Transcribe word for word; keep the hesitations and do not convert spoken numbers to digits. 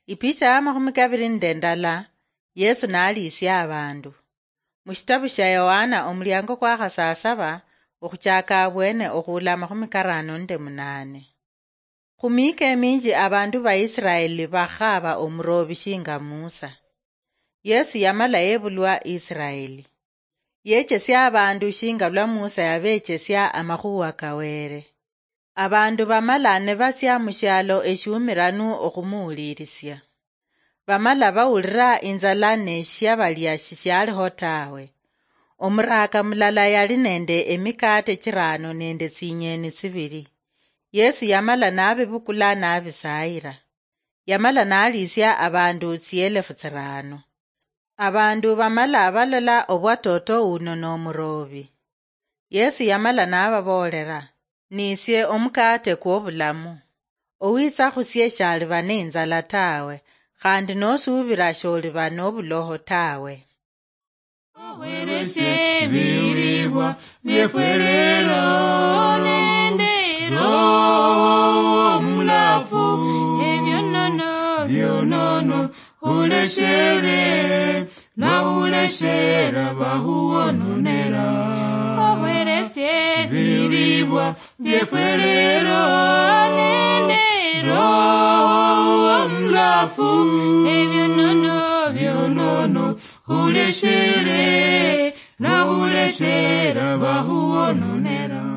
Ipicha ya makhumi kabiri nende ndala. Yesu naliisia abandu. Mushitabu shia Yohana omuliango kwa khasasaba, okhuchaka abwene okhula amakhumi karano nende munane. Khumiika eminji abandu ba Israeli bakhaba omurobi shinga Musa. Yesu yamala yebulwa Israeli. Yechesia abandu shinga lwa Musa yabechesia amakhuwa ka Wele. Abandu bamala nibatsia mushialo eshiumiranu okhumuwulirisia. Bamala bawulira inzala ne shiabalia shishialiho tawe. Omuraka mulala yali nende emikate chirano nende tsinyeni tsibili. Yesu yamala nabibukula nabisayira. Yamala naliisia abandu tsielefu tsirano. Abandu bamala balola obwa toto uno nomurobi. Yesu yamala nababoolera, "Nisie omukate kwobulamu. Owitsa khusie shaliba neinzala tawe, khandi nosuubira sholiba nobuloho tawe." Okhweresie ebilibwa biefwe lero nende Roho Omulafu, ebionono bionono khuleshere, nakhuleshera bakhuwononera. Okhweresie ebilibwa biefwe lero nende Roho Omulafu, ebionono bionono khuleshere, nakhuleshera bakhuwononera.